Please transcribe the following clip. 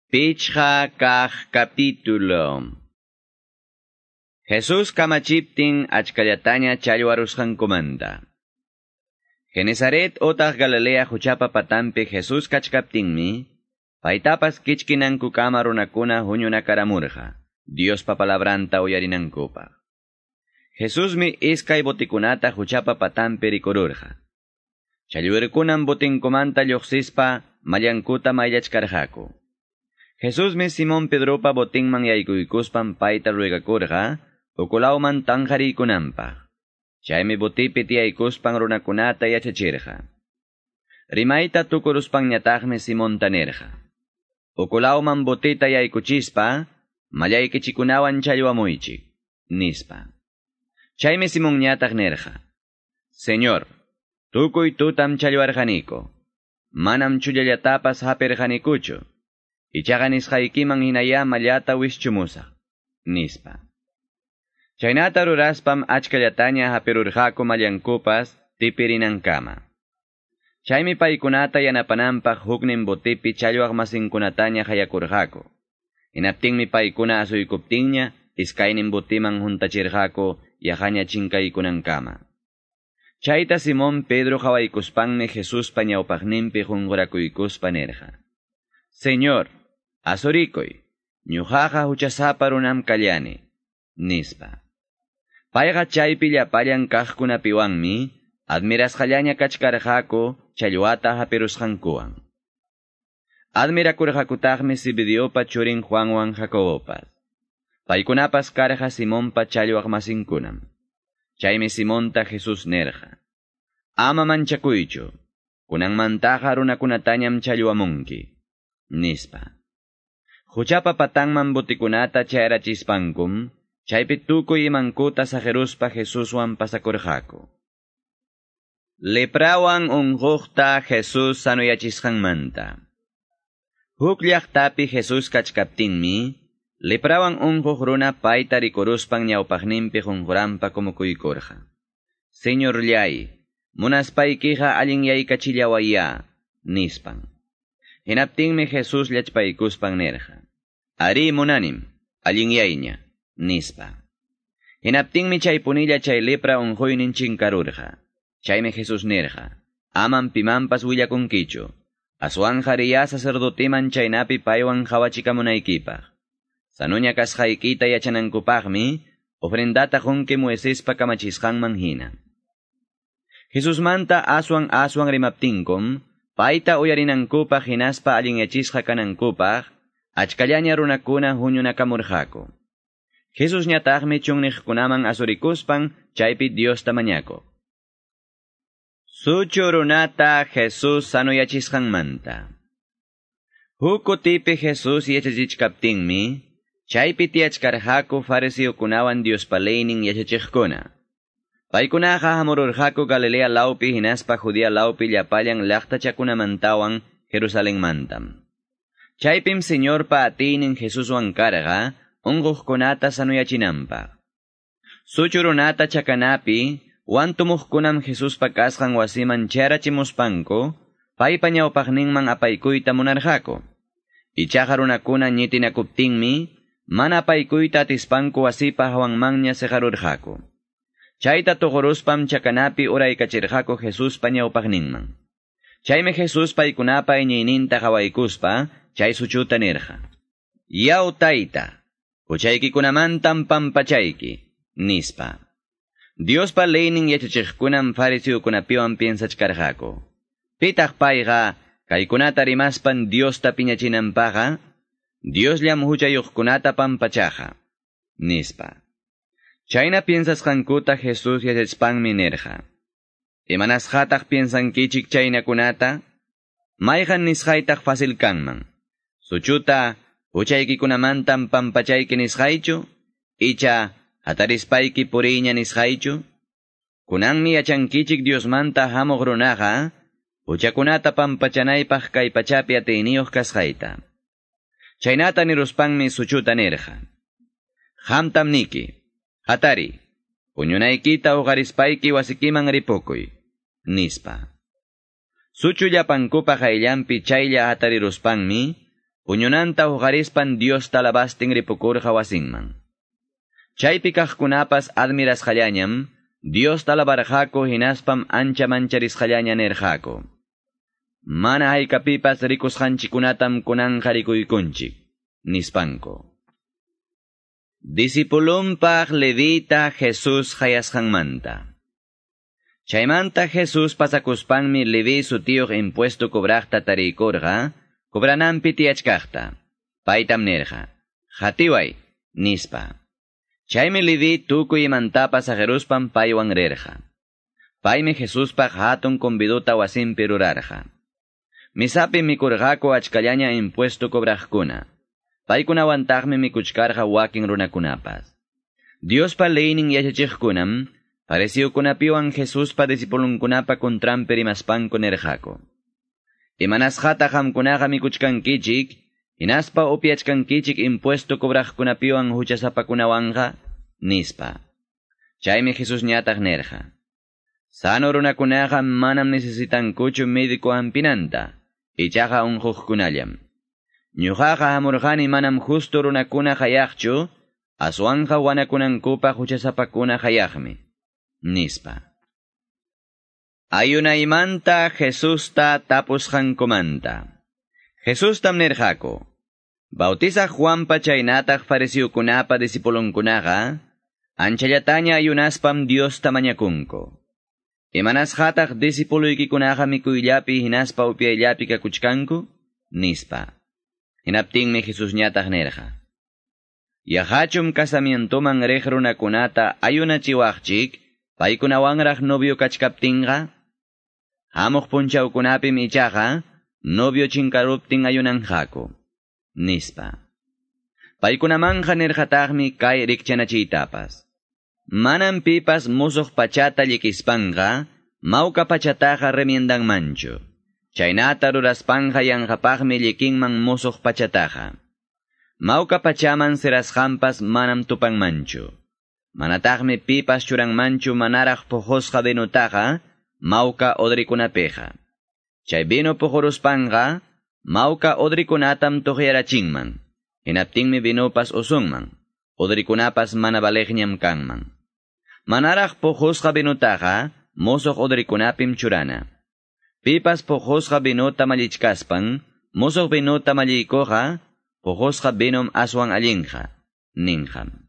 Pichqa kaq capítulo. Jesús kamachiptin achkallataña challwarusqankumanta. Genesaret otaq Galilea huchapa patampi Jesús kachkaptinmi, paytapas kichkinankukama runakuna huñunakaramurqa, Diospa palabranta uyarinankupaq. Jesusmi iskay botikunata huchapa patampi rikururqa. Challwirkunan botinkumanta lluqsispa mallankuta mayllachkarqaku. Jesusmi Simón Pedropa botinman yaykuykuspan payta ruegakurqa, ukulawman tanqariykunanpaq. Chaymi botipi tiyaykuspan runakunata yachachirqa. Rimayta tukuruspanñataqmi Simonta nirqa: Ukulawman botita yaykuchispa, mallaykichikunawan challwamuychik, nispa. Chaymi Simonñataq nirqa: Señor, tukuy tutam challwarqaniku. Manam chullallatapas hapirqanikuchu. Ichaqa nisqaykiman hinayá mallata wischumusa, nispa. Chaynata ruraspam achkallataña hapirurqaku mallankupas tipirinankama. Chaymi paykunata yanapananpaq huknin botipi challwaq masinkunataña hayakurqaku. Hinaptinmi paykuna asuykuptinña iskaynin botiman huntachirqaku yaqaña chinkaykunankama. Chayta Simón Pedro qhawaykuspanmi Jesuspa ñawpaqninpi qunqurakuykuspa nirqa: Señor, asurikuy, ñuqaqa huchasapa runam kallani, nispa. Payqa chaypi llapallan kaqkunapiwanmi admirasqallaña kachkarqaku challwata hapirusqankuwan. Admirakurqakutaqmi Zebediopa churin Juanwan Jacobopas. Paykunapas karqa Simonpa challwaq masinkunam. Chaymi Simonta Jesús nirqa: Ama manchakuychu, kunanmantaqa runakunatañam challwamunki, nispa. Huchapa patanman botikunata chayrachispankum, chaypi tukuy imankuta saqiruspa Jesuswan pasakurqaku. Leprawan unquqta Jesús sanuyachisqanmanta. Huk llaqtapi Jesús kachkaptinmi, leprawan unquq runa payta rikuruspan ñawpaqninpi qunquranpa kumukuykurqa: Señorllay, munaspaykiqa allinyaykachillawayá, nispan. Hinaptinmi Jesús llachpaykuspan nirqa: Ari munanim, allinyayña, nispa. Hinaptinmi chaypunilla chay lepra unquynin chinkarurqa. Chaymi Jesús nirqa: Aman pimanpas willakunkichu, aswanqa riyá sacerdotiman chaynapi paywan qhawachikamunaykipaq. Sanuña kasqaykita yachanankupaqmi ofrendata qunki Moisespa kamachisqanman hina. Jesusmanta aswan aswan rimaptinkum, payta uyarinankupaq hinaspa allinyachisqa kanankupaq, achkallaña runakuna huñunakamurqaku. Jesusñataqmi chunniqkunaman asurikuspan chaypi Diosta mañakuq. Suchu runata Jesús sanuyachisqanmanta. Huk kutipi Jesús yachachichkaptinmi, chaypi tiyachkarqaku fariseokunawan Diospa leynin yachachiqkuna. Paykunaqa hamururqaku Galilea lawpi hinaspa Judea lawpi llapallan llaqtachakunamantawan Jerusalenmantam. Chaypim Señorpa atiynin Jesuswan karqa unquqkunata sanuyachinanpaq. Suchu runata chakanapi wantumuqkunam Jesuspa kasqan wasiman chayarachimuspanku, paypa ñawpaqninman apaykuyta munarqaku. Ichaqa runakuna ñitinakuptinmi, mana apaykuyta atispanku wasipa hawanmanña siqarurqaku. Chayta tuquruspam chakanapi uraykachirqaku Jesuspa ñawpaqninman. Chaymi Jesús paykunapa iñiyninta qhawaykuspa chay suchuta nirqa: Yaw tayta, huchaykikunamantam pampachayki, nispa. Diospa leynin yachachiqkunam fariseokunapiwan piensachkarqaku: Pitaq payqa kaykunata rimaspan Diosta piñachinanpaqqa, Diosllam huchayuqkunata pampachaqa, nispa. Chayna piensasqankuta Jesús yachachpanmi nirqa: Imanasqataq piensankichik chaynakunata? Mayqan nisqaytaq fácil kanman: Suchuta huchaykikunamantam pampachayki nisqaychu, icha hatarispayki puriyña nisqaychu? Kunanmi yachankichik Diosmanta hamuq runaqa huchakunata pampachanaypaq kay pachapi atiyniyuq kasqayta. Chaynata niruspanmi suchuta nirqa: Qamtam niki, hatari, puñunaykita uqarispayki wasikiman ripukuy, nispa. Suchu llapankupa qayllanpi chaylla hatariruspanmi, Puñunanta huqarispan Diosta alabastin ripukurqa wasinman. Chaypi kaqkunapas admirasqallañam, Diosta alabarqaku hinaspam ancha mancharisqallaña nirqaku. Mana haykapipas rikusqanchikkunatam kunanqa rikuykunchik, nispanku. Discipulunpaq Levita Jesús qayasqanmanta. Chaymanta Jesús pasakuspanmi Leví sutiyuq impuesto cobraqta tariykurqa, cobrananpi tiyachkaqta. Paytam nirqa, "Qatiway", nispa. Chaymi Leví tukuy imantapas saqiruspan paywan rirqa. Paymi Jesuspaq hatun conviduta wasinpi rurarqa. Misapi mikurqaku achkallaña impuesto cobraqkuna. Paykunawantaqmi mikuchkarqa wakin runakunapas. Diospa leynin yachachiqkunam, fariseokunapiwan Jesuspa discipulunkunapa contranpi rimaspanku nirqaku. Imanasqataq qamkunaqa mikuchkankichik, hinaspa upyachkankichik impuesto cobraqkunapiwan huchasapakunawanqa, nispa. Chaymi Jesusñataq nirqa. Sano runakunaqa manam necesitankuchu médico hampinanta, ichaqa unquqkunallam. Ñuqaqa hamurqani manam justo runakuna qayaqchu, aswanqa wanakunankupaq huchasapakuna qayaqmi, nispa. Ayunaymanta Jesusta tapusqankumanta. Jesustam nirqaku, Bautizaq Juanpa chaynataq fariseokunapa discipulunkunaqa, anchallataña ayunaspam Diosta mañakunku. Imanasqataq discipuloykikunaqa mikuyllapi hinaspa upyayllapi kakuchkanku, nispa. Hinaptinmi Jesusñataq nirqa. Yaqachum casamientoman riq runakunata ayunachiwaqchik, paykunawanraq novio kachkaptinqa? Hamuq punchawkunapim ichaqa, novio chinkaruptin ayunanqaku, nispa. Paykunamanqa nirqataqmi kay rikchanachiytapas. Manam pipas musuq pachata llikispanqa, mawka pachataqa remiendanmanchu. Chaynata ruraspanqa yanqapaqmi llikinman musuq pachataqa. Mawka pachaman sirasqanpas manam tupanmanchu. Manataqmi pipas churanmanchu manaraq puqusqa vinutaqa, mawka odrikunapiqa. Chay vino puquruspanqa, mawka odrikunatam tuqyarachinman. Hinaptinmi vinopas usunman, odrikunapas mana valeqñam kanman. Manaraq puqusqa vinutaqa, musuq odrikunapim churana. Pipas puqusqa vinuta mallichkaspan, musuq vinuta malliykuqa, puqusqa vinum aswan allinqa, ninqam.